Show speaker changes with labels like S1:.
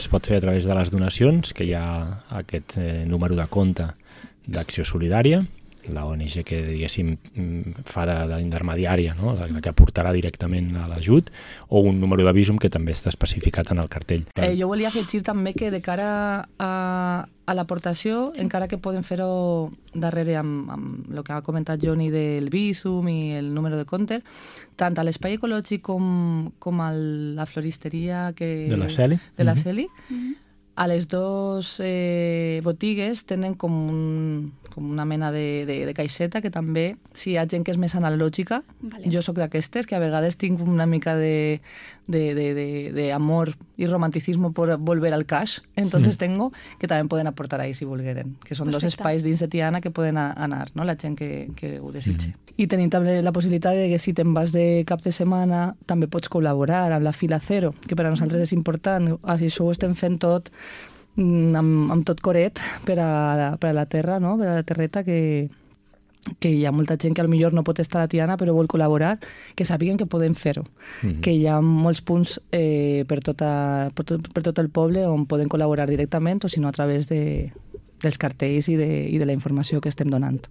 S1: pot fer a través de les donacions, que hi ha aquest número de compte d'Acció Solidària, la ONG que, diguéssim, fa d'intermediària, no? La que aportarà directament a l'ajut, o un número de Bizum que també està especificat en el cartell.
S2: Jo volia afegir també que de cara a l'aportació, encara que poden fer-ho darrere amb el que ha comentat Joni del Bizum i el número de compte, tant a l'Espai Ecològic com a la floristeria
S1: de la Celi,
S2: a les dues botigues tenen com una mena de caixeta que també, si hi ha gent que és més analògica, jo sóc d'aquestes, que a vegades tinc una mica d'amor i romanticisme per volver al cash, entonces tengo, que també poden aportar ahí si volgueren, que són dos espais dins de Tiana que poden anar, no? La gent que ho desitge. I tenim també la possibilitat de que si te'n vas de cap de setmana també pots col·laborar amb la Fila Cero, que per a nosaltres és important, això ho estem fent tot amb tot coret per a la terra, no? Per a la terreta, que hi ha molta gent que potser no pot estar a Tiana però vol col·laborar, que sàpiguen que podem fer-ho, que hi ha molts punts per tot el poble on poden col·laborar directament o si no a través dels cartells i de la informació que estem donant.